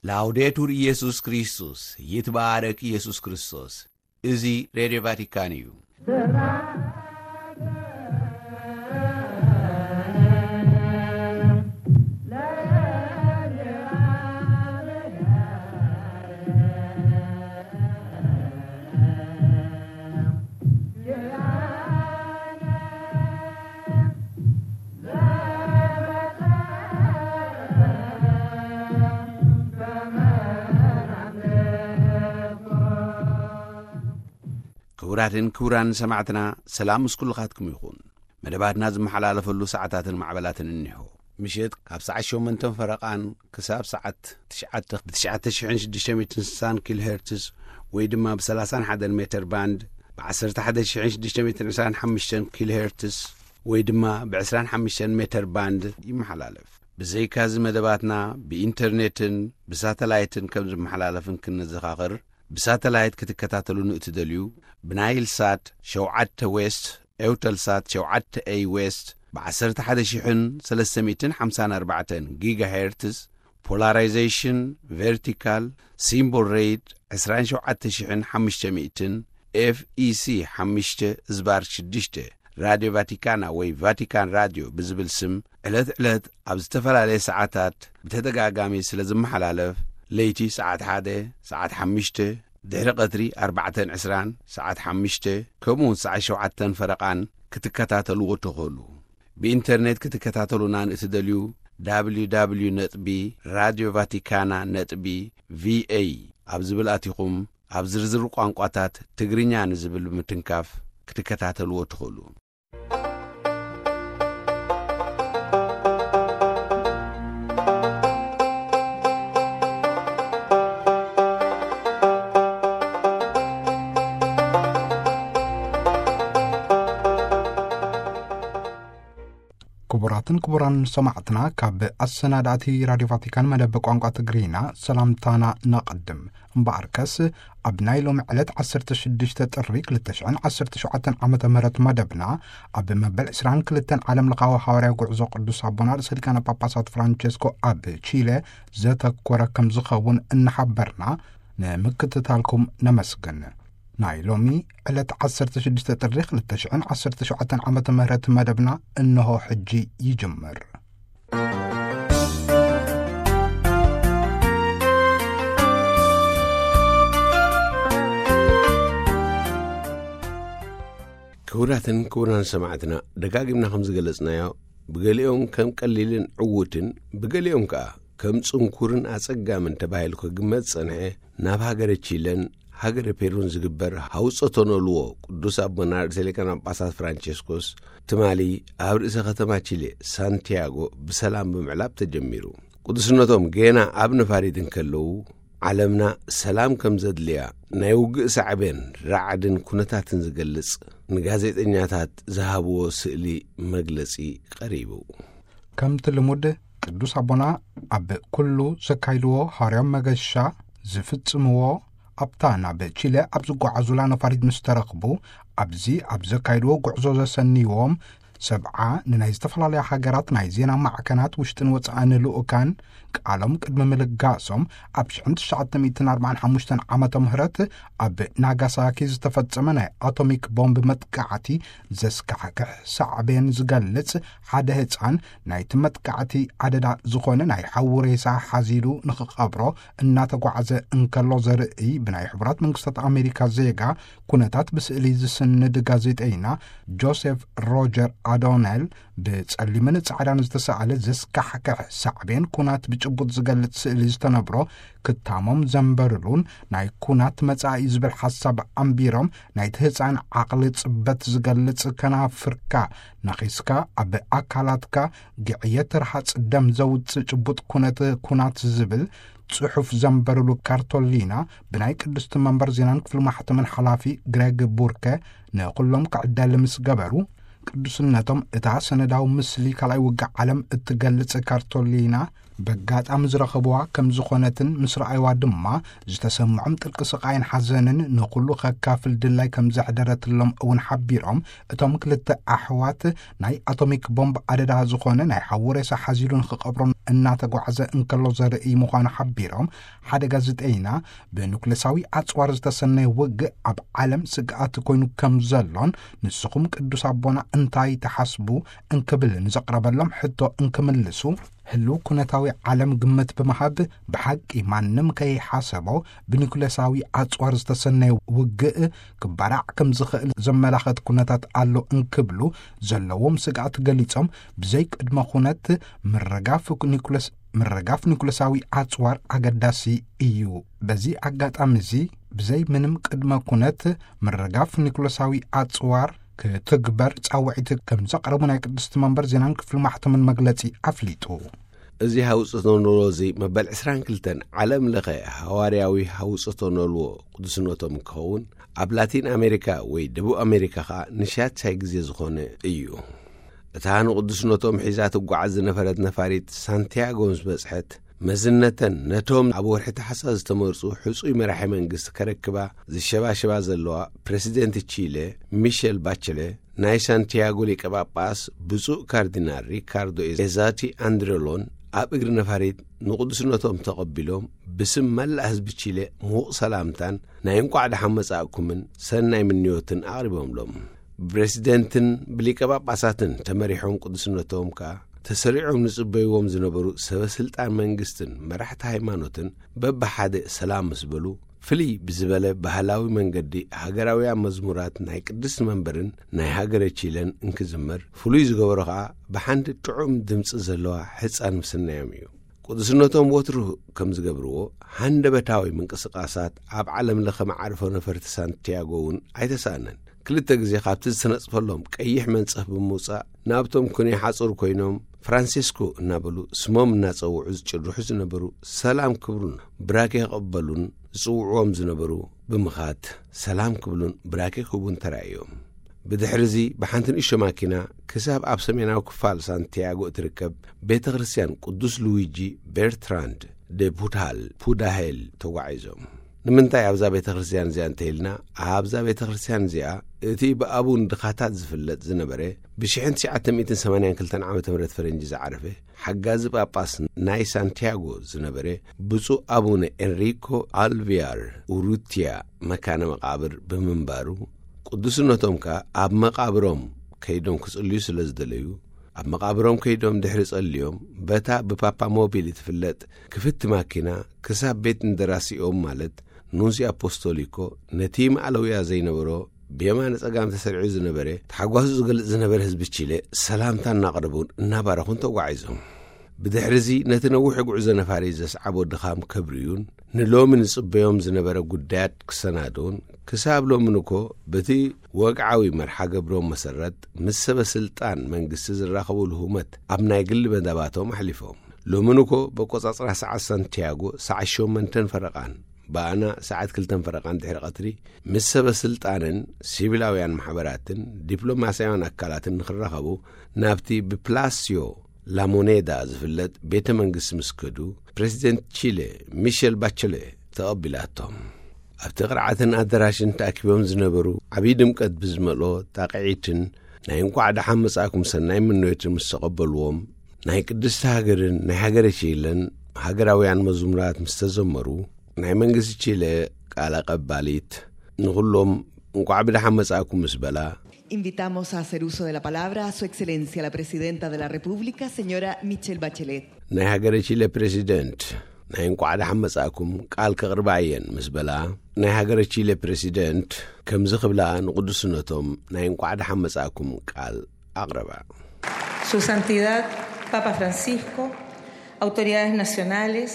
ላውዴቱር ኢየሱስ ክርስቶስ፣ ይትባረክ ኢየሱስ ክርስቶስ። እዚ ሬድዮ ቫቲካን እዩ። ክቡራትን ክቡራን ሰማዕትና፣ ሰላም ምስ ኩልኻትኩም ይኹን። መደባትና ዝመሓላለፈሉ ሰዓታትን ማዕበላትን እኒሆ። ምሸት ካብ ሰዓት ሸሞንተን ፈረቓን ክሳብ ሰዓት ትሽዓተ ብ ትሽዓተ ሽሕን ሽዱሽተ ሚእትን ስሳን ኪሎ ሄርትዝ ወይ ድማ ብ ሰላሳን ሓደን ሜተር ባንድ፣ ብ ዓሰርተ ሓደ ሽሕን ሽዱሽተ ሚእትን ዕስራን ሓሙሽተን ኪሎ ሄርትዝ ወይ ድማ ብ ዕስራን ሓሙሽተን ሜተር ባንድ ይመሓላለፍ። ብዘይካዚ መደባትና ብኢንተርኔትን ብሳተላይትን ከም ዝመሓላለፍን ክንዘኻኽር፣ ብሳተላይት ክትከታተሉ ንእትደልዩ፣ ብናይል ሳት ሸውዓተ ዌስት፣ ኤውተልሳት ሸውዓተ ኤይ ዌስት፣ ብ ዓሰርተ ሓደ ሽሕን ሰለስተ ሚእትን ሓምሳን ኣርባዕተን ጊጋሄርትዝ፣ ፖላራይዜሽን ቨርቲካል፣ ሲምቦል ሬት ዕስራን ሸውዓተ ሽሕን ሓሙሽተ ሚእትን፣ ኤፍ ኢ ሲ ሓሙሽተ ዝባር ሽዱሽተ፣ ራድዮ ቫቲካና ወይ ቫቲካን ራድዮ ብዝብል ስም ዕለት ዕለት ኣብ ዝተፈላለየ ሰዓታት ብተደጋጋሚ ስለ ዝመሓላለፍ፣ ለይቲ ሰዓት ሓደ፣ ሰዓት ሓሙሽተ፣ ድሕሪ ቀትሪ ኣርባዕተን ዕስራን፣ ሰዓት ሓሙሽተ፣ ከምኡ እውን ሰዓት ሸውዓተን ፈረቓን ክትከታተልዎ ትኽእሉ። ብኢንተርኔት ክትከታተሉና ንእትደልዩ፣ ደብሊው ደብሊው ደብሊው ነጥቢ ራድዮ ቫቲካና ነጥቢ ቪ ኤ ኣብ ዝብል ኣቲኹም፣ ኣብ ዝርዝር ቋንቋታት ትግርኛ ንዝብል ብምትንካፍ ክትከታተልዎ ትኽእሉ። ክቡራትን ክቡራን ሰማዕትና፣ ካብ ኣሰናዳእቲ ራድዮ ቫቲካን መደብ ቋንቋ ትግርኛ ሰላምታና ነቐድም። እምበኣርከስ፣ ኣብ ናይ ሎሚ ዕለት ዓሰርተ ሽዱሽተ ጥሪ ክልተ ሽሕን ዓሰርተ ሸውዓተን ዓመተ ምህረት መደብና፣ ኣብ መበል ዕስራን ክልተን ዓለም ለኻዊ ሃዋርያዊ ጉዕዞ ቅዱስ ኣቦና ርእሰ ሊቃነ ጳጳሳት ፍራንቸስኮ ኣብ ቺለ ዘተኮረ ከም ዝኸውን እናሓበርና፣ ንምክትታልኩም ነመስግን። ናይ ሎሚ ዕለት ዓሰርተ ሽዱሽተ ጥሪ ክልተ ሽሕን ዓሰርተ ሸውዓተን ዓመተ ምህረት መደብና እንሆ ሕጂ ይጅምር። ክቡራትን ክቡራን ሰማዕትና፣ ደጋጊምና ከም ዝገለጽናዮ፣ ብገሊኦም ከም ቀሊልን ዕዉትን፣ ብገሊኦም ከኣ ከም ጽንኩርን ኣጸጋምን ተባሂሉ ክግመት ዝጸንሐ፣ ናብ ሃገረ ቺለን ሃገረ ፔሩን ዝግበር ሃውጾ ተነልዎ ቅዱስ ኣቦና ርእሰ ሊቃነ ጳጳሳት ፍራንቸስኮስ ትማሊ ኣብ ርእሰ ከተማ ቺሌ ሳንቲያጎ ብሰላም ብምዕላብ ተጀሚሩ። ቅዱስነቶም ጌና ኣብ ነፋሪት እንከለዉ፣ ዓለምና ሰላም ከም ዘድልያ፣ ናይ ውግእ ሳዕቤን ራዕድን ኩነታትን ዝገልጽ ንጋዜጠኛታት ዝሃብዎ ስእሊ መግለጺ ቀሪቡ። ከምቲ ልሙድ ቅዱስ ኣቦና ኣብ ኩሉ ዘካይድዎ ሃዋርያዊ መገሻ ዝፍጽምዎ፣ ኣብታ ናብ ቺለ ኣብ ዝጓዓዙላ ነፋሪት ምስ ተረኽቡ፣ ኣብዚ ኣብ ዘካይድዎ ጉዕዞ ዘሰንይዎም ሰብዓ ንናይ ዝተፈላለያ ሃገራት ናይ ዜና ማዕከናት ውሽጥን ወጻእን ልኡካን ቃሎም ቅድሚ ምልጋሶም፣ ኣብ ሽሕን ትሽዓተ ሚእትን ኣርባዓን ሓሙሽተን ዓመተ ምህረት ኣብ ናጋሳኪ ዝተፈጸመ ናይ ኣቶሚክ ቦምብ መጥቃዕቲ ዘስካሕክሕ ሳዕቤን ዝገልጽ፣ ሓደ ህጻን ናይቲ መጥቃዕቲ ኣደዳ ዝኾነ ናይ ሓዊ ሬሳ ሓዚሉ ንኽቐብሮ እናተጓዕዘ እንከሎ ዘርኢ ብናይ ሕቡራት መንግስታት ኣሜሪካ ዜጋ ኩነታት ብስእሊ ዝስንድ ጋዜጠይና ጆሴፍ ሮጀር ኣዶነል ብጸሊምን ጻዕዳን ዝተሳእለ ዘስካሕክሕ ሳዕቤን ኩናት ብጭቡጥ ዝገልጽ ስእሊ ዝተነብሮ ክታሞም ዘንበርሉን ናይ ኩናት መጻኢ ዝብል ሓሳብ ኣንቢሮም፣ ናይቲ ህጻን ዓቕሊ ጽበት ዝገልጽ ከናፍርካ ነኺስካ ኣብ ኣካላትካ ግዕየት ርሃጽ ደም ዘውጽእ ጭቡጥ ኩነት ኩናት ዝብል ጽሑፍ ዘንበርሉ ካርቶሊና ብናይ ቅድስቲ መንበር ዜናን ክፍሊ ማሕተምን ሓላፊ ግሬግ ቡርከ ንኹሎም ክዕደል ምስ ገበሩ፣ ቅዱስነቶም እታ ሰነዳዊ ምስሊ ካልኣይ ውግእ ዓለም እትገልጽ ካርቶሊና በጋጣሚ ዝረኸብዋ ከም ዝኾነትን ምስ ረኣይዋ ድማ ዝተሰምዖም ጥልቂ ስቓይን ሓዘንን ንኹሉ ከካፍል ድላይ ከም ዘሕደረትሎም እውን ሓቢሮም፣ እቶም ክልተ ኣሕዋት ናይ ኣቶሚክ ቦምብ ኣደዳ ዝኾነ ናይ ሓዉ ሬሳ ሓዚሉ ንክቐብሮም እናተጓዕዘ እንከሎ ዘርኢ ምዃኑ ሓቢሮም፣ ሓደ ጋዜጠይና ብኑክሌሳዊ ኣጽዋር ዝተሰነየ ውግእ ኣብ ዓለም ስግኣት ኮይኑ ከም ዘሎን ንስኹም ቅዱስ ኣቦና እንታይ ትሓስቡ እንክብል ንዘቕረበሎም ሕቶ እንክምልሱ፣ ህልው ኩነታዊ ዓለም ግምት ብምሃብ ብሓቂ ማንም ከይሓሰቦ ብኒኩሌሳዊ ኣጽዋር ዝተሰነየ ውግእ ክባራዕ ከም ዝኽእል ዘመላኸት ኩነታት ኣሎ እንክብሉ ዘለዎም ስግኣት ገሊጾም፣ ብዘይ ቅድመ ኩነት ምርጋፍ ኒኩለስ ምርጋፍ ኒኩለሳዊ ኣጽዋር ኣገዳሲ እዩ። በዚ ኣጋጣሚ እዚ ብዘይ ምንም ቅድመ ኩነት ምርጋፍ ኒኩለሳዊ ኣጽዋር ክትግበር ጻውዒት ከም ዘቕረቡ ናይ ቅድስቲ መንበር ዜናን ክፍሊ ማሕተምን መግለጺ ኣፍሊጡ። እዚ ሃውጽቶ ኖልዎ እዚ መበል ዕስራን ክልተን ዓለም ለኸ ሃዋርያዊ ሃውጽቶ ኖልዎ ቅዱስነቶም ክኸውን ኣብ ላቲን ኣሜሪካ ወይ ደቡብ ኣሜሪካ ኸኣ ንሻድሻይ ግዜ ዝኾነ እዩ። እታ ንቅዱስነቶም ሒዛ ትጓዓዝ ዝነበረት ነፋሪት ሳንቲያጎ ምስ በጽሐት፣ መዝነተን ነቶም ኣብ ወርሒ ታሕሳስ ዝተመርጹ ሕጹይ መራሒ መንግስቲ ከረክባ ዝሸባሸባ ዘለዋ ፕረሲደንት ቺለ ሚሸል ባቸለ፣ ናይ ሳንቲያጎ ሊቀ ጳጳስ ብፁዕ ካርዲናል ሪካርዶ ኤዛቲ ኣንድረሎን ኣብ እግሪ ነፋሪት ንቅዱስነቶም ተቐቢሎም ብስም መላእ ህዝቢ ቺለ ምዉቕ ሰላምታን ናይ እንቋዕ ደሓን መጻእኩምን ሰናይ ምንዮትን ኣቕሪቦምሎም። ብፕረሲደንትን ብሊቀ ጳጳሳትን ተመሪሖም ቅዱስነቶም ከኣ ተሰሪዖም ንጽበይዎም ዝነበሩ ሰበ ስልጣን መንግስትን መራሕቲ ሃይማኖትን በብሓደ ሰላም ምስ በሉ፣ ፍልይ ብዝበለ ባህላዊ መንገዲ ሃገራውያን መዝሙራት ናይ ቅድስቲ መንበርን ናይ ሃገረ ቺለን እንክዝመር፣ ፍሉይ ዝገበሮ ከኣ ብሓንቲ ጥዑም ድምጺ ዘለዋ ሕጻን ምስናዮም እዩ። ቅዱስነቶም ወትሩ ከም ዝገብርዎ፣ ሃንደበታዊ ምንቅስቃሳት ኣብ ዓለም ለኸ መዓርፎ ነፈርቲ ሳንቲያጎ እውን ኣይተሳእነን። ክልተ ግዜ ካብቲ ዝተነጽፈሎም ቀይሕ መንጸፍ ብምውጻእ፣ ናብቶም ኩነ ሓጹር ኮይኖም ፍራንሲስኮ እናበሉ ስሞም እናጸውዑ ዝጭርሑ ዝነበሩ፣ ሰላም ክብሉን ብራኬ ክቕበሉን ዝጽውዕዎም ዝነበሩ ብምኻድ፣ ሰላም ክብሉን ብራኬ ክህቡን ተራእዮም። ብድሕሪ እዚ ብሓንቲ ንእሽቶ ማኪና ክሳብ ኣብ ሰሜናዊ ክፋል ሳንቲያጎ እትርከብ ቤተ ክርስቲያን ቅዱስ ሉዊጂ ቤርትራንድ ደ ቡድሃል ፑዳሄል ተጓዒዞም። ንምንታይ ኣብዛ ቤተ ክርስቲያን እዚኣ እንተኢልና፣ ኣብዛ ቤተ ክርስቲያን እዚኣ እቲ ብኣቡን ድኻታት ዝፍለጥ ዝነበረ፣ ብሽሕን ትሽዓተ ሚእትን ሰማንያን ክልተን ዓመተ ምህረት ፈረንጂ ዝዓረፈ ሓጋዚ ጳጳስ ናይ ሳንቲያጎ ዝነበረ ብፁዕ ኣቡነ ኤንሪኮ ኣልቪያር ኡሩትያ መካነ መቓብር ብምንባሩ፣ ቅዱስነቶም ከኣ ኣብ መቓብሮም ከይዶም ክጽልዩ ስለ ዝደለዩ፣ ኣብ መቓብሮም ከይዶም ድሕሪ ጸልዮም፣ በታ ብፓፓ ሞቢል እትፍለጥ ክፍቲ ማኪና ክሳብ ቤት እንደራሲኦም፣ ማለት ኑንሲ ኣፖስቶሊኮ፣ ነቲ ማዕለውያ ዘይነበሮ ብየማነ ጸጋም ተሰሪዑ ዝነበረ፣ ተሓጓሱ ዝገልጽ ዝነበረ ህዝቢ ቺለ ሰላምታ እናቕረቡን እናባረኹን ተጓዒዞም። ብድሕሪ እዚ ነቲ ነዊሕ ጉዕዞ ነፋሪት ዘስዓቦ ድኻም ከብርዩን ንሎሚ ንጽበዮም ዝነበረ ጉዳያት ክሰናድኡን፣ ክሳብ ሎሚ ንኮ በቲ ወግዓዊ መርሓ ገብሮም መሰረት ምስ ሰበ ስልጣን መንግስቲ ዝራኸቡ ልሁመት ኣብ ናይ ግሊ መደባቶም ኣሕሊፎም። ሎሚ ንኮ በቆጻጽራ ሰዓት ሳንቲያጎ ሰዓት ሸሞንተን ፈረቓን፣ ብኣና ሰዓት ክልተን ፈረቓን ድሕሪ ቀትሪ ምስ ሰበ ስልጣንን ሲቪላውያን ማሕበራትን ዲፕሎማስያውያን ኣካላትን ንኽራኸቡ ናብቲ ብፕላስዮ ላሞኔዳ ዝፍለጥ ቤተ መንግስቲ ምስ ከዱ፣ ፕረሲደንት ቺለ ሚሸል ባቸለ ተቐቢላቶም። ኣብቲ ቅርዓትን ኣዳራሽን ተኣኪቦም ዝነበሩ ዓብዪ ድምቀት ብዝመልኦ ጣቕዒትን ናይ እንቋዕ ደሓን መጻእኩም ሰናይ ምንዮትን ምስ ተቐበልዎም፣ ናይ ቅድስቲ ሃገርን ናይ ሃገረ ቺለን ሃገራውያን መዝሙራት ምስ ተዘመሩ፣ ናይ መንግስቲ ቺለ ቃል ኣቐባሊት ንኹሎም እንቋዕ ብደሓን መጻእኩም ምስ በላ፣ Invitamos a hacer uso de la palabra a Su Excelencia la Presidenta de la República, señora Michelle Bachelet. ናይ ሃገረ ቺለ ፕሬዚደንት ናይ እንቋዕ ደሓን መጻእኩም ቃል ከቕርባ እየን ምስ በላ፣ ናይ ሃገረ ቺለ ፕሬዚደንት ከምዚ ክብላ ንቅዱስነቶም ናይ እንቋዕ ደሓን መጻእኩም ቃል ኣቕረባ። Su Santidad, Papa Francisco, autoridades nacionales,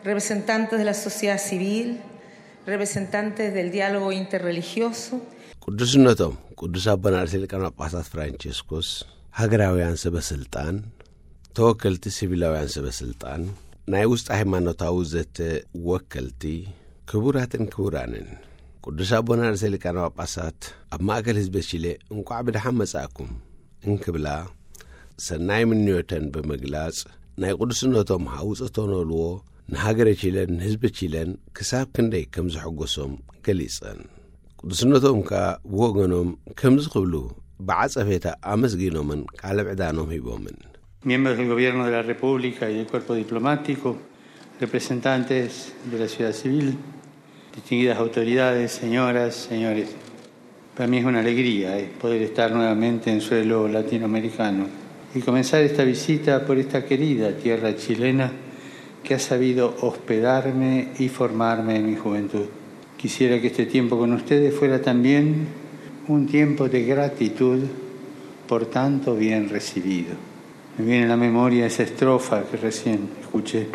representantes de la sociedad civil, representantes del diálogo interreligioso. ቅዱስነቶም ቅዱስ ኣቦና ርእሰ ሊቃነ ጳጳሳት ፍራንቸስኮስ፣ ሃገራውያን ሰበ ስልጣን፣ ተወከልቲ ሲቪላውያን ሰበ ስልጣን፣ ናይ ውስጥ ሃይማኖታዊ ዘተ ወከልቲ፣ ክቡራትን ክቡራንን፣ ቅዱስ ኣቦና ርእሰ ሊቃነ ጳጳሳት ኣብ ማእከል ህዝበ ቺለ እንቋዕ ብደሓን መጻእኩም እንክብላ ሰናይ ምንዮተን ብምግላጽ፣ ናይ ቅዱስነቶም ሃውፅቶ ንበልዎ ንሃገረ ቺለን ንህዝቢ ቺለን ክሳብ ክንደይ ከም ዘሐጎሶም ገሊጸን። ቅዱስነቶም ከኣ ብወገኖም ከምዚ ክብሉ ብዓጸፌታ ኣመስጊኖምን ቃለ ምዕዳኖም ሂቦምን። Miembros del Gobierno de la República y del Cuerpo Diplomático, representantes de la sociedad civil, distinguidas autoridades, señoras, señores, para mí es una alegría, eh, poder estar nuevamente en suelo latinoamericano y comenzar esta visita por esta querida tierra chilena que ha sabido hospedarme y formarme en mi juventud. Quisiera que este tiempo con ustedes fuera también un tiempo de gratitud por tanto bien recibido. Me viene a la memoria esa estrofa que recién escuché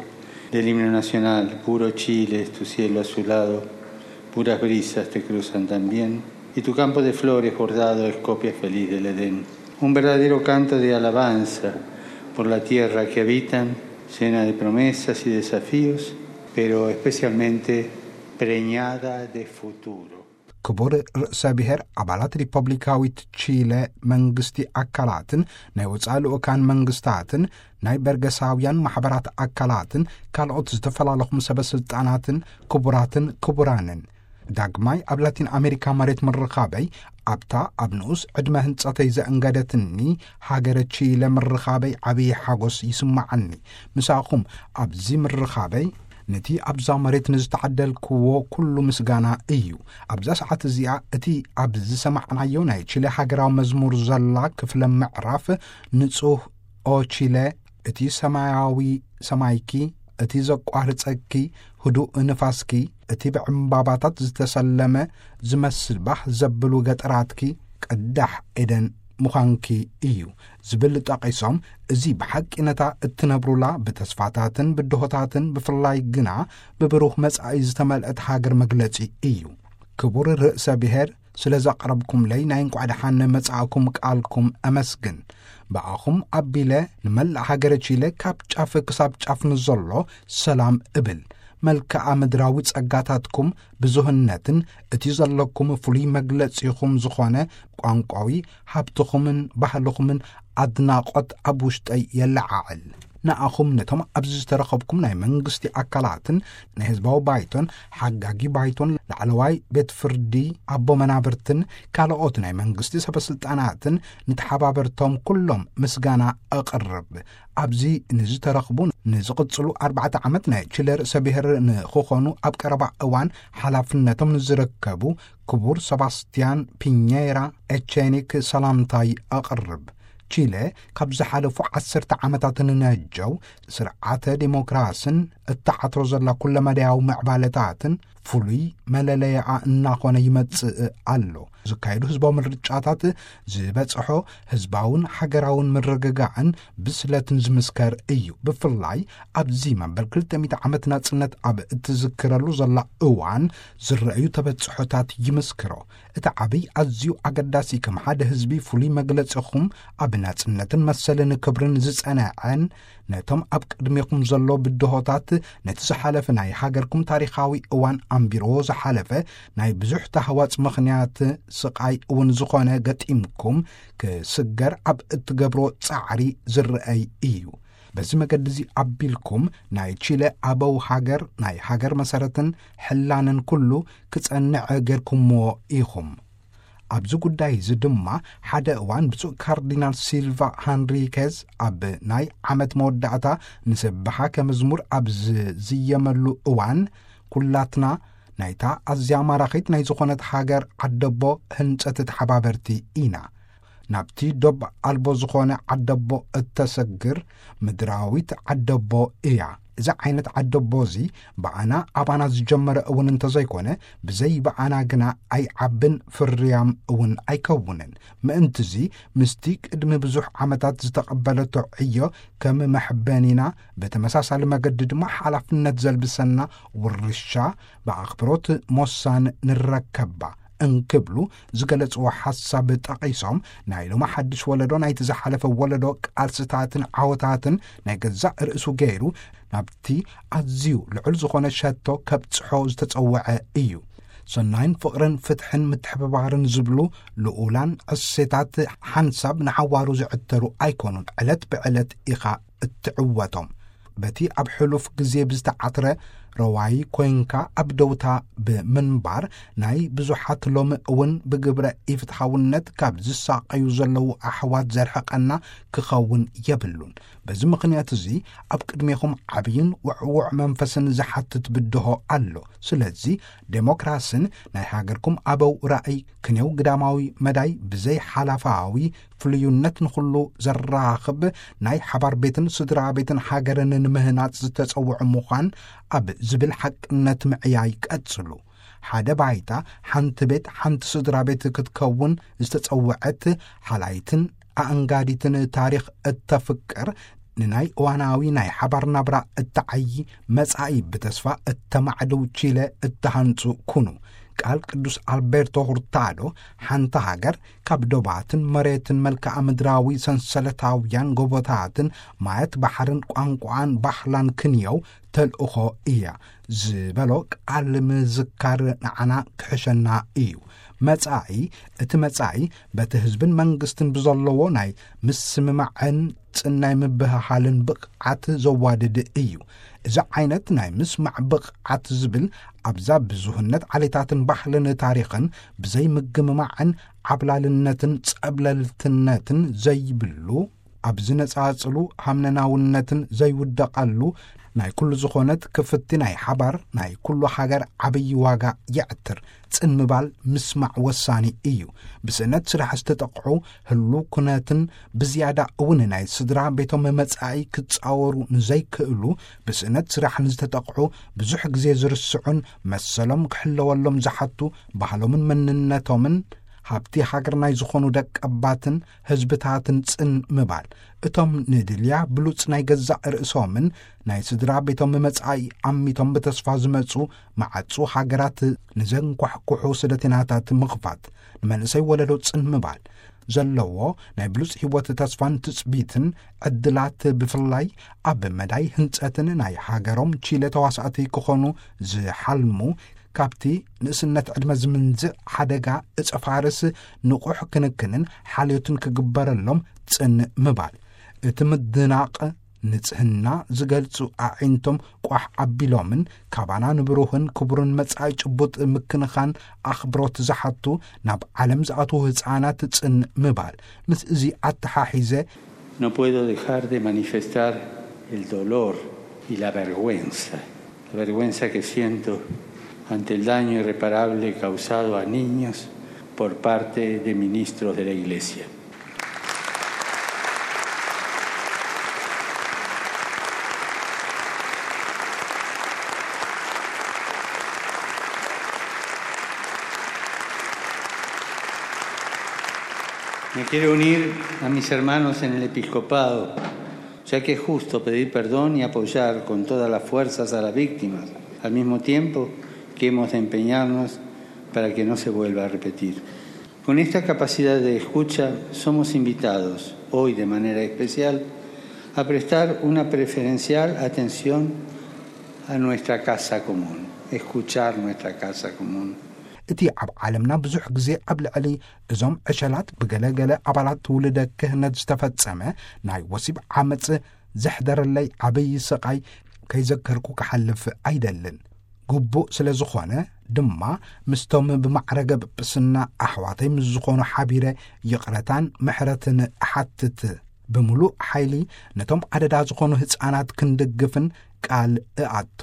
del himno nacional: "Puro Chile es tu cielo azulado, puras brisas te cruzan también, y tu campo de flores bordado es copia feliz del Edén". Un verdadero canto de alabanza por la tierra que habitan, llena de promesas y desafíos, pero especialmente preñada de futuro. ክቡር ርእሰ ብሔር፣ ኣባላት ሪፐብሊካዊት ቺለ መንግስቲ ኣካላትን ናይ ወጻኢ ልኡካን መንግስታትን ናይ በርገሳውያን ማሕበራት ኣካላትን ካልኦት ዝተፈላለኹም ሰበ ስልጣናትን ክቡራትን ክቡራንን፣ ዳግማይ ኣብ ላቲን ኣሜሪካ መሬት ምርኻበይ፣ ኣብታ ኣብ ንኡስ ዕድመ ህንጸተይ ዘእንገደትኒ ሃገረ ቺለ ምርኻበይ ዓብዪ ሓጎስ ይስማዓኒ። ምሳኹም ኣብዚ ምርኻበይ ነቲ ኣብዛ መሬት ንዝተዓደልክዎ ኩሉ ምስጋና እዩ። ኣብዛ ሰዓት እዚኣ እቲ ኣብ ዝሰማዕናዮ ናይ ቺለ ሃገራዊ መዝሙር ዘላ ክፍለ ምዕራፍ፣ ንጹህ ኦ ቺለ፣ እቲ ሰማያዊ ሰማይኪ፣ እቲ ዘቋርጸኪ ህዱእ ንፋስኪ፣ እቲ ብዕምባባታት ዝተሰለመ ዝመስል ባህ ዘብሉ ገጠራትኪ ቅዳሕ ኤደን ምዃንኪ እዩ ዝብል ጠቒሶም፣ እዚ ብሓቂ ነታ እትነብሩላ ብተስፋታትን ብድሆታትን ብፍላይ ግና ብብሩህ መጻኢ ዝተመልአት ሃገር መግለጺ እዩ። ክቡር ርእሰ ብሔር፣ ስለ ዘቕረብኩምለይ ናይ እንቋዕ ደሓን መጻእኩም ቃልኩም ኣመስግን። ብኣኹም ኣቢለ ንመላእ ሃገረ ቺለ ካብ ጫፍ ክሳብ ጫፍ ንዘሎ ሰላም እብል። መልክዓ ምድራዊ ጸጋታትኩም ብዙህነትን እቲ ዘለኩም ፍሉይ መግለጺኹም ዝኾነ ቋንቋዊ ሃብትኹምን ባህልኹምን ኣድናቖት ኣብ ውሽጠይ የለዓዕል። ንኣኹም ነቶም ኣብዚ ዝተረኸብኩም ናይ መንግስቲ ኣካላትን ናይ ህዝባዊ ባይቶን ሓጋጊ ባይቶን ላዕለዋይ ቤት ፍርዲ ኣቦ መናብርትን ካልኦት ናይ መንግስቲ ሰበስልጣናትን ንተሓባበርቶም ኩሎም ምስጋና እቕርብ። ኣብዚ ንዝተረኽቡ ንዝቕጽሉ ኣርባዕተ ዓመት ናይ ቺለ ርእሰ ብሔር ንኽኾኑ ኣብ ቀረባ እዋን ሓላፍነቶም ንዝረከቡ ክቡር ሰባስቲያን ፒኘራ ኤቼኒክ ሰላምታይ ኣቕርብ። ቺለ ካብ ዝሓለፉ ዓሰርተ ዓመታት ንነጀው ስርዓተ ዴሞክራስን እተዓትሮ ዘላ ኩለመዳያዊ ምዕባለታትን ፍሉይ መለለያኣ እናኾነ ይመጽእ ኣሎ። ዝካየዱ ህዝባዊ ምርጫታት ዝበጽሖ ህዝባውን ሃገራውን ምርግጋዕን ብስለትን ዝምስከር እዩ። ብፍላይ ኣብዚ መበል ክልተ ሚእቲ ዓመት ናጽነት ኣብ እትዝክረሉ ዘላ እዋን ዝረኣዩ ተበጽሖታት ይምስክሮ። እቲ ዓብይ ኣዝዩ ኣገዳሲ፣ ከም ሓደ ህዝቢ ፍሉይ መግለጺኹም ኣብ ናጽነትን መሰልን ክብርን ዝጸንዐን፣ ነቶም ኣብ ቅድሜኹም ዘሎ ብድሆታት፣ ነቲ ዝሓለፈ ናይ ሃገርኩም ታሪኻዊ እዋን ኣንቢርዎ ዝሓለፈ ናይ ብዙሕ ታህዋጽ ምኽንያት ስቓይ እውን ዝኾነ ገጢምኩም ክስገር ኣብ እትገብሮ ጻዕሪ ዝረኣይ እዩ። በዚ መገዲ እዚ ኣቢልኩም ናይ ቺለ ኣበው ሃገር፣ ናይ ሃገር መሰረትን ሕላንን ኩሉ ክጸንዕ ጌርኩምዎ ኢኹም። ኣብዚ ጉዳይ እዚ ድማ ሓደ እዋን ብፁዕ ካርዲናል ሲልቫ ሃንሪኬዝ ኣብ ናይ ዓመት መወዳእታ ንስብሓ ከመዝሙር ኣብ ዝዝየመሉ እዋን፣ ኩላትና ናይታ ኣዝያ ማራኺት ናይ ዝኾነት ሃገር ዓደቦ ህንጸት ተሓባበርቲ ኢና። ናብቲ ዶብ ኣልቦ ዝኾነ ዓደቦ እተሰግር ምድራዊት ዓደቦ እያ። እዚ ዓይነት ዓደቦ እዚ ብኣና ኣባና ዝጀመረ እውን እንተዘይኮነ፣ ብዘይ ብኣና ግና ኣይዓብን፣ ፍርያም እውን ኣይከውንን። ምእንትዚ ምስቲ ቅድሚ ብዙሕ ዓመታት ዝተቐበለቶ ዕዮ ከም መሕበኒና፣ ብተመሳሳሊ መገዲ ድማ ሓላፍነት ዘልብሰና ውርሻ ብኣኽብሮት ሞሳን ንረከባ እንክብሉ ዝገለጽዎ ሓሳብ ጠቒሶም፣ ናይ ሎሚ ሓድሽ ወለዶ ናይቲ ዝሓለፈ ወለዶ ቃልስታትን ዓወታትን ናይ ገዛእ ርእሱ ገይሩ ናብቲ ኣዝዩ ልዑል ዝኾነ ሸቶ ከብጽሖ ዝተጸውዐ እዩ። ሰናይን ፍቕርን ፍትሕን ምትሕብባርን ዝብሉ ልኡላን እሴታት ሓንሳብ ንሓዋሩ ዝዕተሩ ኣይኮኑን፣ ዕለት ብዕለት ኢኻ እትዕወቶም። በቲ ኣብ ሕሉፍ ግዜ ብዝተዓትረ ረዋይ ኮይንካ ኣብ ደውታ ብምንባር፣ ናይ ብዙሓት ሎም እውን ብግብረ ኢፍትሓውነት ካብ ዝሳቐዩ ዘለዉ ኣሕዋት ዘርሕቐና ክኸውን የብሉን። በዚ ምኽንያት እዚ ኣብ ቅድሜኹም ዓብይን ውዕውዕ መንፈስን ዝሓትት ብድሆ ኣሎ። ስለዚ ዴሞክራስን ናይ ሃገርኩም ኣበው ራእይ ክንየው ግዳማዊ መዳይ ብዘይ ሓላፋዊ ፍልዩነት ንኹሉ ዘራኽብ ናይ ሓባር ቤትን ስድራ ቤትን ሃገርን ንምህናጽ ዝተጸውዑ ምዃን ኣብ ዝብል ሓቅነት ምዕያይ ቀጽሉ። ሓደ ባይታ፣ ሓንቲ ቤት፣ ሓንቲ ስድራ ቤት ክትከውን ዝተጸውዐት ሓላይትን ኣእንጋዲትን ታሪኽ እተፍቅር፣ ንናይ እዋናዊ ናይ ሓባር ናብራ እተዓዪ፣ መጻኢ ብተስፋ እተማዕድው ቺለ እተሃንጹ ኩኑ። ቃል ቅዱስ ኣልቤርቶ ሁርታዶ፣ ሓንቲ ሃገር ካብ ዶባትን መሬትን መልክዓ ምድራዊ ሰንሰለታውያን ጎቦታትን ማያት ባሕርን ቋንቋን ባህላን ክንየው ተልእኾ እያ ዝበሎ ቃል ምዝካር ንዓና ክሕሸና እዩ። መጻኢ፣ እቲ መጻኢ በቲ ህዝብን መንግስትን ብዘለዎ ናይ ምስምማዕን ጽናይ ምብህሃልን ብቕዓት ዘዋድድ እዩ። እዚ ዓይነት ናይ ምስማዕ ብቕዓት ዝብል ኣብዛ ብዙህነት ዓሌታትን ባህልን ታሪኽን ብዘይ ምግምማዕን ዓብላልነትን ጸብለልትነትን ዘይብሉ፣ ኣብ ዝነጻጽሉ ሃምነናውነትን ዘይውደቐሉ ናይ ኩሉ ዝኾነት ክፍቲ ናይ ሓባር ናይ ኩሉ ሃገር ዓብዪ ዋጋ የዕትር። ጽን ምባል ምስማዕ ወሳኒ እዩ። ብስእነት ስራሕ ዝተጠቕዑ ህሉ ኩነትን ብዝያዳ እውን ናይ ስድራ ቤቶም መጻኢ ክጻወሩ ንዘይክእሉ ብስእነት ስራሕ ንዝተጠቕዑ ብዙሕ ግዜ ዝርስዑን መሰሎም ክሕለወሎም ዝሓቱ ባህሎምን መንነቶምን ሃብቲ ሃገር ናይ ዝኾኑ ደቀባትን ህዝብታትን ጽን ምባል። እቶም ንድልያ ብሉጽ ናይ ገዛእ ርእሶምን ናይ ስድራ ቤቶም መጻኢ ኣሚቶም ብተስፋ ዝመጹ መዓጹ ሃገራት ንዘንኳሕኩሑ ስደተናታት ምኽፋት፣ ንመንእሰይ ወለዶ ጽን ምባል ዘለዎ ናይ ብሉጽ ህይወት ተስፋን ትጽቢትን ዕድላት ብፍላይ ኣብ መዳይ ህንጸትን ናይ ሃገሮም ቺለ ተዋሳእቲ ክኾኑ ዝሓልሙ ካብቲ ንእስነት ዕድመ ዝምንዝዕ ሓደጋ እጸ ፋርስ ንቑሕ ክንክንን ሓልዮትን ክግበረሎም ጽን ምባል። እቲ ምድናቕ ንጽህና ዝገልጹ ኣዒንቶም ቋሕ ኣቢሎምን ካባና ንብሩህን ክቡርን መጻኢ ጭቡጥ ምክንኻን ኣኽብሮት ዝሓቱ ናብ ዓለም ዝኣትዉ ህጻናት ጽን ምባል። ምስ እዚ ኣተሓሒዘ No puedo dejar de manifestar el dolor y la vergüenza, la vergüenza que siento ante el daño irreparable causado a niños por parte de ministros de la Iglesia. Me quiero unir a mis hermanos en el episcopado, ya que es justo pedir perdón y apoyar con todas las fuerzas a las víctimas, al mismo tiempo que hemos de empeñarnos para que no se vuelva a repetir. Con esta capacidad de escucha somos invitados, hoy de manera especial, a prestar una preferencial atención a nuestra casa común, escuchar nuestra casa común. እቲ ኣብ ዓለምና ብዙሕ ግዜ ኣብ ልዕሊ እዞም ዕሸላት ብገለገለ ኣባላት ትውልደ ክህነት ዝተፈጸመ ናይ ወሲብ ዓመጽ ዘሕደረለይ ዓብዪ ስቓይ ከይዘከርኩ ክሓልፍ ኣይደልን። ግቡእ ስለ ዝኾነ ድማ ምስቶም ብማዕረገ ጵጵስና ኣሕዋተይ ምስ ዝኾኑ ሓቢረ ይቕረታን ምሕረትን እሓትት። ብምሉእ ሓይሊ ነቶም ኣደዳ ዝኾኑ ህጻናት ክንድግፍን ቃል እኣቱ።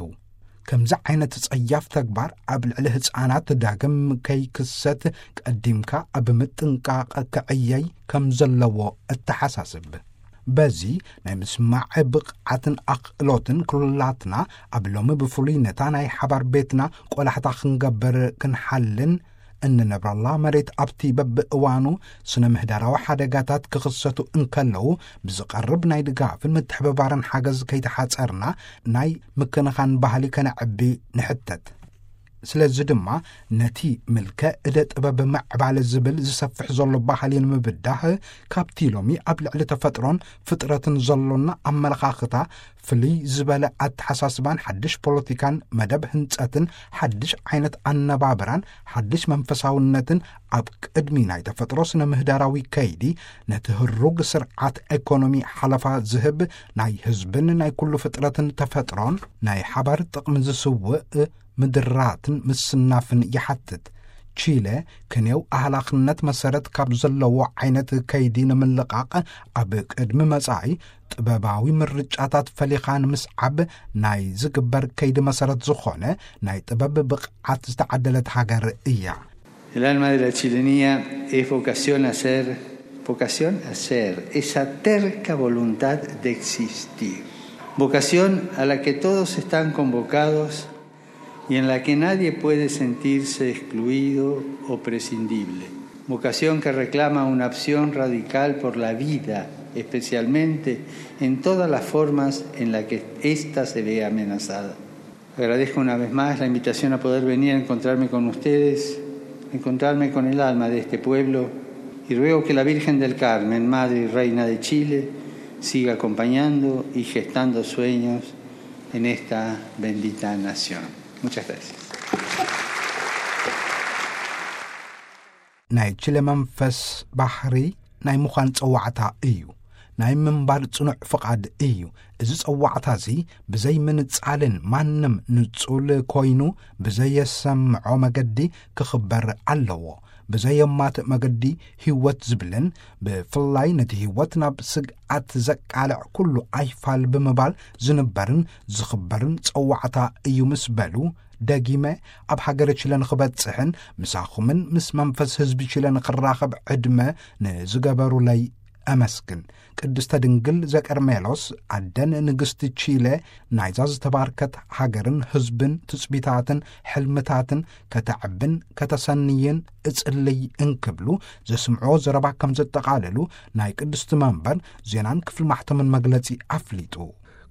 ከምዚ ዓይነት ጸያፍ ተግባር ኣብ ልዕሊ ህጻናት ዳግም ከይክሰት ቀዲምካ ኣብ ምጥንቃቕ ክዕየይ ከም ዘለዎ እተሓሳስብ። በዚ ናይ ምስማዕ ብቕዓትን ኣኽእሎትን ኩላትና ኣብ ሎሚ ብፍሉይ ነታ ናይ ሓባር ቤትና ቆላሕታ ክንገብር ክንሓልን እንነብረላ መሬት ኣብቲ በብእዋኑ ስነ ምህዳራዊ ሓደጋታት ክኽሰቱ እንከለዉ ብዝቐርብ ናይ ድጋፍን ምትሕብባርን ሓገዝ ከይተሓጸርና ናይ ምክንኻን ባህሊ ከነዕቢ ንሕተት። ስለዚ ድማ ነቲ ምልከ እደ ጥበብ ምዕባለ ዝብል ዝሰፍሕ ዘሎ ባህሊ ንምብዳህ፣ ካብቲ ሎሚ ኣብ ልዕሊ ተፈጥሮን ፍጥረትን ዘሎና ኣመለኻኽታ፣ ፍልይ ዝበለ ኣተሓሳስባን ሓድሽ ፖለቲካን መደብ ህንጸትን ሓድሽ ዓይነት ኣነባብራን ሓድሽ መንፈሳውነትን ኣብ ቅድሚ ናይ ተፈጥሮ ስነ ምህዳራዊ ከይዲ፣ ነቲ ህሩግ ስርዓት ኤኮኖሚ ሓለፋ ዝህብ፣ ናይ ህዝብን ናይ ኩሉ ፍጥረትን ተፈጥሮን ናይ ሓባር ጥቕሚ ዝስውእ ምድራትን ምስናፍን ይሓትት። ቺለ፣ ክንየው ኣህላኽነት መሰረት ካብ ዘለዎ ዓይነት ከይዲ ንምልቓቕ፣ ኣብ ቅድሚ መጻኢ ጥበባዊ ምርጫታት ፈሊኻ ንምስዓብ ናይ ዝግበር ከይዲ መሰረት ዝኾነ ናይ ጥበብ ብቕዓት ዝተዓደለት ሃገር እያ። El alma de la chilenía es vocación a ser, vocación a ser, esa terca voluntad de existir. Vocación a la que todos están convocados y en la que nadie puede sentirse excluido o prescindible. Vocación que reclama una opción radical por la vida, especialmente en todas las formas en las que ésta se ve amenazada. Agradezco una vez más la invitación a poder venir a encontrarme con ustedes, a encontrarme con el alma de este pueblo, y ruego que la Virgen del Carmen, Madre y Reina de Chile, siga acompañando y gestando sueños en esta bendita nación. Muchas gracias. ናይ ቺለ መንፈስ ባሕሪ ናይ ምዃን ጸዋዕታ እዩ። ናይ ምንባር ጽኑዕ ፍቓድ እዩ። እዚ ጸዋዕታ እዚ ብዘይ ምንጻልን ማንም ንጹል ኮይኑ ብዘየሰምዖ መገዲ ክኽበር ኣለዎ። ብዘየማትእ መገዲ ህይወት ዝብልን ብፍላይ ነቲ ህይወት ናብ ስግኣት ዘቃልዕ ኩሉ ኣይፋል ብምባል ዝንበርን ዝኽበርን ጸዋዕታ እዩ ምስ በሉ፣ ደጊመ ኣብ ሃገረ ቺለ ንኽበጽሕን ምሳኹምን ምስ መንፈስ ህዝቢ ቺለ ንኽራኸብ ዕድመ ንዝገበሩለይ ኣመስግን። ቅድስተ ድንግል ዘቀርሜሎስ ኣደን ንግስቲ ቺለ ናይዛ ዝተባርከት ሃገርን ህዝብን ትጽቢታትን ሕልምታትን ከተዕብን ከተሰንይን እጽልይ እንክብሉ ዘስምዖ ዘረባ ከም ዘጠቓለሉ ናይ ቅድስቲ መንበር ዜናን ክፍሊ ማሕተምን መግለጺ ኣፍሊጡ።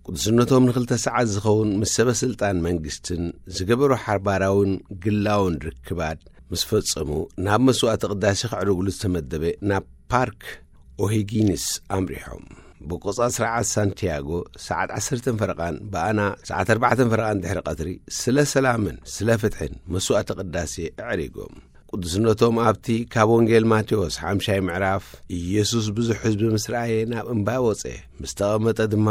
ቅዱስነቶም ንክልተ ሰዓት ዝኸውን ምስ ሰበ ስልጣን መንግስትን ዝገበሮ ሓባራውን ግላውን ርክባት ምስ ፈጸሙ ናብ መስዋዕቲ ቅዳሴ ከዕርጉሉ ዝተመደበ ናብ ፓርክ ኦሂጊንስ ኣምሪሖም። ብቆጻ ስርዓት ሳንቲያጎ ሰዓት ዓሰርተ ፈረቓን ብኣና ሰዓት ኣርባዕተ ፈረቓን ድሕሪ ቀትሪ ስለ ሰላምን ስለ ፍትሕን መስዋዕቲ ቅዳሴ ኣዕሪጎም። ቅዱስነቶም ኣብቲ ካብ ወንጌል ማቴዎስ ሓምሻይ ምዕራፍ ኢየሱስ ብዙሕ ህዝቢ ምስ ረኣየ ናብ እምባ ወጸ፣ ምስ ተቐመጠ ድማ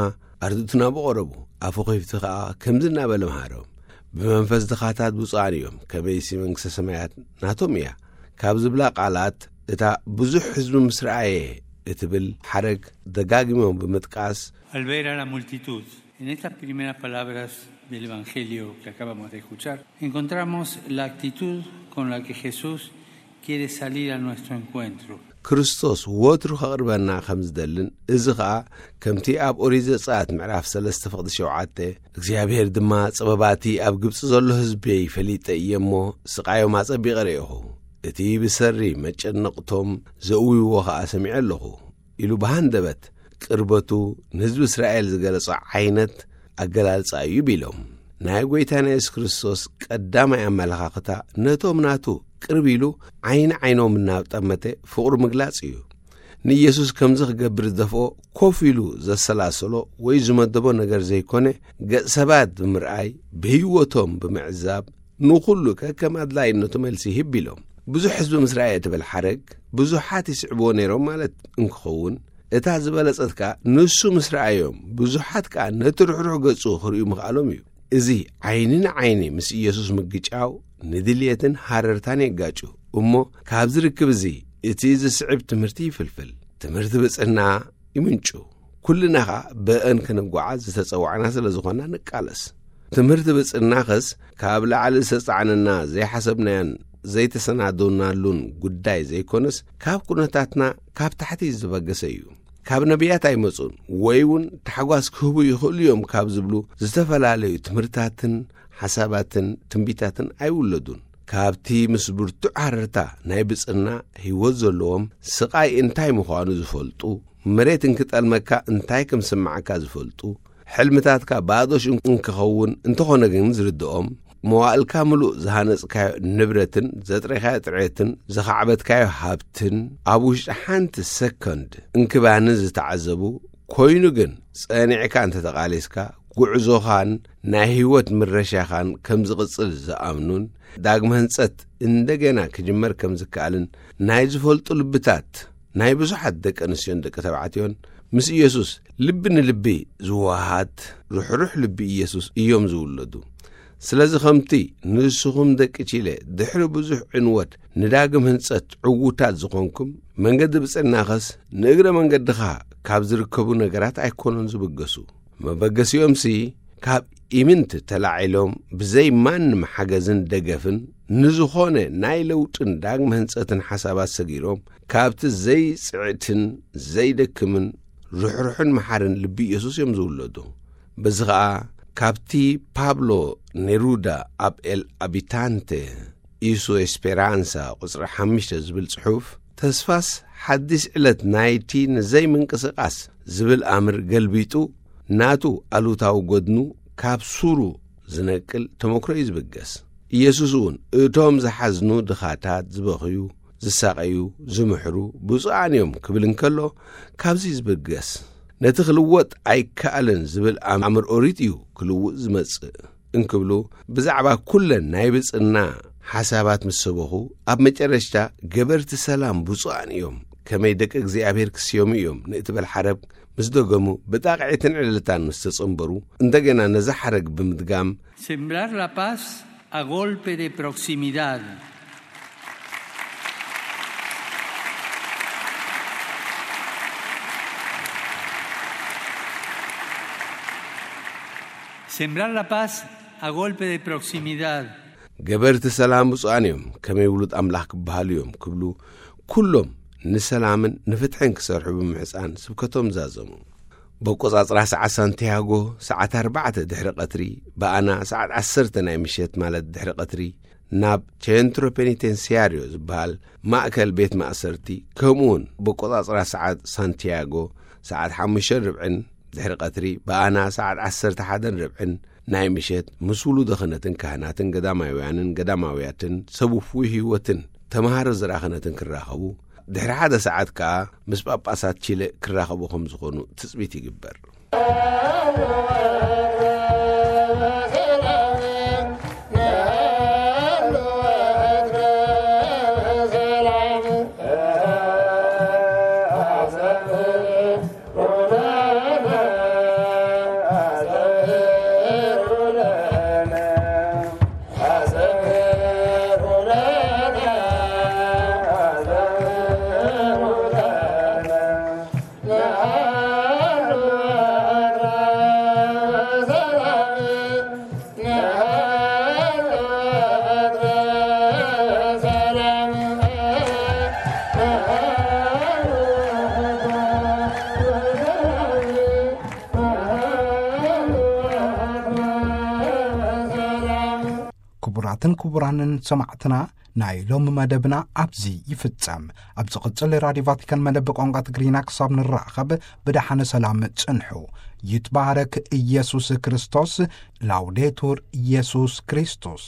ኣርድእቱ ናብኡ ቀረቡ፣ ኣፉ ከፊቱ ኸኣ ከምዚ እናበለ መሃሮም፣ ብመንፈስ ድኻታት ብፁዓን እዮም፣ ከመይሲ መንግስተ ሰማያት ናቶም እያ ካብ ዝብላ ቃላት እታ ብዙሕ ህዝቢ ምስ ረኣየ እትብል ሓረግ ደጋጊሞም ብምጥቃስ፣ Al ver a la multitud, en estas primeras palabras del Evangelio que acabamos de escuchar, encontramos la actitud con la que Jesús quiere salir a nuestro encuentro. ክርስቶስ ወትሩ ከቕርበና ከም ዝደልን፣ እዚ ኸኣ ከምቲ ኣብ ኦሪት ዘጸኣት ምዕራፍ ሰለስተ ፍቕዲ ሸውዓተ እግዚኣብሔር ድማ ጸበባቲ ኣብ ግብጺ ዘሎ ህዝበይ ፈሊጠ እየ እሞ፣ ስቓዮም ኣጸቢቐ ርእኹ፣ እቲ ብሰሪ መጨነቕቶም ዘእውይዎ ኸኣ ሰሚዐ ኣለኹ ኢሉ ብሃንደበት ቅርበቱ ንህዝቢ እስራኤል ዝገለጾ ዓይነት ኣገላልጻ እዩ ቢሎም። ናይ ጐይታና የሱስ ክርስቶስ ቀዳማይ ኣመለኻኽታ ነቶም ናቱ ቅርብ ኢሉ ዓይኒ ዓይኖም እናጠመተ ፍቕሩ ምግላጽ እዩ። ንኢየሱስ ከምዚ ክገብር ዝደፍኦ ኮፍ ኢሉ ዘሰላሰሎ ወይ ዝመደቦ ነገር ዘይኮነ፣ ገጽ ሰባት ብምርኣይ፣ ብህይወቶም ብምዕዛብ፣ ንኹሉ ከከም ኣድላይነቱ መልሲ ይህብ ኢሎም። ብዙሕ ህዝቢ ምስ ረኣየ እትብል ሓረግ ብዙሓት ይስዕብዎ ነይሮም ማለት እንክኸውን፣ እታ ዝበለጸት ከኣ ንሱ ምስ ረኣዮም ብዙሓት ከኣ ነቲ ርሕሩሕ ገጹ ክርእዩ ምኽኣሎም እዩ። እዚ ዓይኒ ንዓይኒ ምስ ኢየሱስ ምግጫው ንድልየትን ሃረርታን የጋጩ እሞ፣ ካብዚ ርክብ እዚ እቲ ዝስዕብ ትምህርቲ ይፍልፍል። ትምህርቲ ብጽና ይምንጩ። ኩልና ኸኣ ብእን ክንጓዓዝ ዝተጸዋዕና ስለ ዝኾና ንቃለስ። ትምህርቲ ብጽናኸስ ካብ ላዕሊ ዝተጻዕነና ዘይሓሰብናዮን ዘይተሰናደውናሉን ጉዳይ ዘይኮነስ፣ ካብ ኩነታትና ካብ ታሕቲ ዝተበገሰ እዩ። ካብ ነቢያት ኣይመጹን፣ ወይ እውን ታሕጓስ ክህቡ ይኽእሉ እዮም ካብ ዝብሉ ዝተፈላለዩ ትምህርታትን ሓሳባትን ትንቢታትን ኣይውለዱን። ካብቲ ምስ ብርቱዕ ሃረርታ ናይ ብጽና ህይወት ዘለዎም ስቓይ እንታይ ምዃኑ ዝፈልጡ፣ መሬት እንክጠልመካ እንታይ ከም ዝስምዓካ ዝፈልጡ፣ ሕልምታትካ ባዶ ሽም እንክኸውን እንተኾነ ግን ዝርድኦም፣ መዋእልካ ምሉእ ዝሃነጽካዮ ንብረትን ዘጥሬኻዮ ጥሬትን ዝኻዕበትካዮ ሃብትን ኣብ ውሽጢ ሓንቲ ሰኮንድ እንክባኒ ዝተዓዘቡ፣ ኮይኑ ግን ጸኒዕካ እንተተቓሊስካ፣ ጉዕዞኻን ናይ ህይወት ምረሻኻን ከም ዝቕጽል ዝኣምኑን፣ ዳግመ ህንጸት እንደገና ክጅመር ከም ዝከኣልን፣ ናይ ዝፈልጡ ልብታት ናይ ብዙሓት ደቂ ኣንስትዮን ደቂ ተባዕትዮን ምስ ኢየሱስ ልቢ ንልቢ ዝወሃሃድ ርሕሩሕ ልቢ ኢየሱስ እዮም ዝውለዱ። ስለዚ ከምቲ ንስኹም ደቂ ቺለ ድሕሪ ብዙሕ ዕንወት ንዳግም ህንጸት ዕዉታት ዝኾንኩም፣ መንገዲ ብጽዕናኸስ ንእግረ መንገድኻ ካብ ዝርከቡ ነገራት ኣይኮኑን ዝብገሱ። መበገሲኦምሲ ካብ ኢምንት ተላዒሎም ብዘይ ማንም ሓገዝን ደገፍን ንዝኾነ ናይ ለውጥን ዳግመ ህንጸትን ሓሳባት ሰጊሮም ካብቲ ዘይጽዕትን ዘይደክምን ርሕሩሕን መሓርን ልቢ ኢየሱስ እዮም ዝውለዱ። በዚ ኸኣ ካብቲ ፓብሎ ኔሩዳ ኣብ ኤል ኣቢታንቴ ኢሱ ኤስፔራንሳ ቁጽሪ ሓሙሽተ ዝብል ጽሑፍ፣ ተስፋስ ሓድሽ ዕለት ናይቲ ንዘይምንቅስቓስ ዝብል ኣምር ገልቢጡ፣ ናቱ ኣሉታዊ ጎድኑ ካብ ሱሩ ዝነቅል ተመክሮ እዩ ዝብገስ። ኢየሱስ እውን እቶም ዝሓዝኑ ድኻታት፣ ዝበኽዩ፣ ዝሳቐዩ፣ ዝምሕሩ ብፁዓን እዮም ክብል እንከሎ፣ ካብዚ ዝብገስ ነቲ ክልወጥ ኣይከኣልን ዝብል ኣምር ኦሪት እዩ ክልውጥ ዝመጽእ። እንክብሉ፣ ብዛዕባ ኩለን ናይ ብጽና ሓሳባት ምስ ሰበኹ፣ ኣብ መጨረሽታ ገበርቲ ሰላም ብፁዓን እዮም፣ ከመይ ደቂ እግዚኣብሔር ክስየሙ እዮም ንእትበል ሓረግ ምስ ደገሙ፣ ብጣቕዒትን ዕልልታን ምስ ተጸንበሩ፣ እንደገና ነዛ ሓረግ ብምድጋም፣ Sembrar la paz a golpe de proximidad. Sembrar la paz a golpe de proximidad. ገበርቲ ሰላም ብፁዓን እዮም፣ ከመይ ውሉድ ኣምላኽ ክበሃሉ እዮም ክብሉ፣ ኩሎም ንሰላምን ንፍትሕን ክሰርሑ ብምሕፃን ስብከቶም ዛዘሙ። በቆጻጽራ ሰዓት ሳንቲያጎ ሰዓት ኣርባዕተ ድሕሪ ቀትሪ፣ ብኣና ሰዓት ዓሰርተ ናይ ምሸት ማለት ድሕሪ ቀትሪ፣ ናብ ቼንትሮ ፔኒቴንሲያሪዮ ዝበሃል ማእከል ቤት ማእሰርቲ፣ ከምኡውን በቆጻጽራ ሰዓት ሳንቲያጎ ሰዓት ሓሙሽተ ርብዕን ድሕሪ ቀትሪ፣ ብኣና ሰዓት ዓሰርተ ሓደን ርብዕን ናይ ምሸት፣ ምስ ውሉደ ክህነትን ካህናትን ገዳማውያንን ገዳማውያትን ሰብ ውፉይ ህይወትን ተምሃሮ ዝራ ክህነትን ክራኸቡ፣ ድሕሪ ሓደ ሰዓት ከኣ ምስ ጳጳሳት ቺለ ክራኸቡ ከም ዝኾኑ ትጽቢት ይግበር። ክቡራትን ክቡራንን ሰማዕትና፣ ናይ ሎሚ መደብና ኣብዚ ይፍጸም። ኣብ ዝቕጽል ራድዮ ቫቲካን መደብ ቋንቋ ትግርኛ ክሳብ ንራኸብ፣ ብደሓነ ሰላም ጽንሑ። ይትባረክ ኢየሱስ ክርስቶስ። ላውዴቱር ኢየሱስ ክርስቶስ።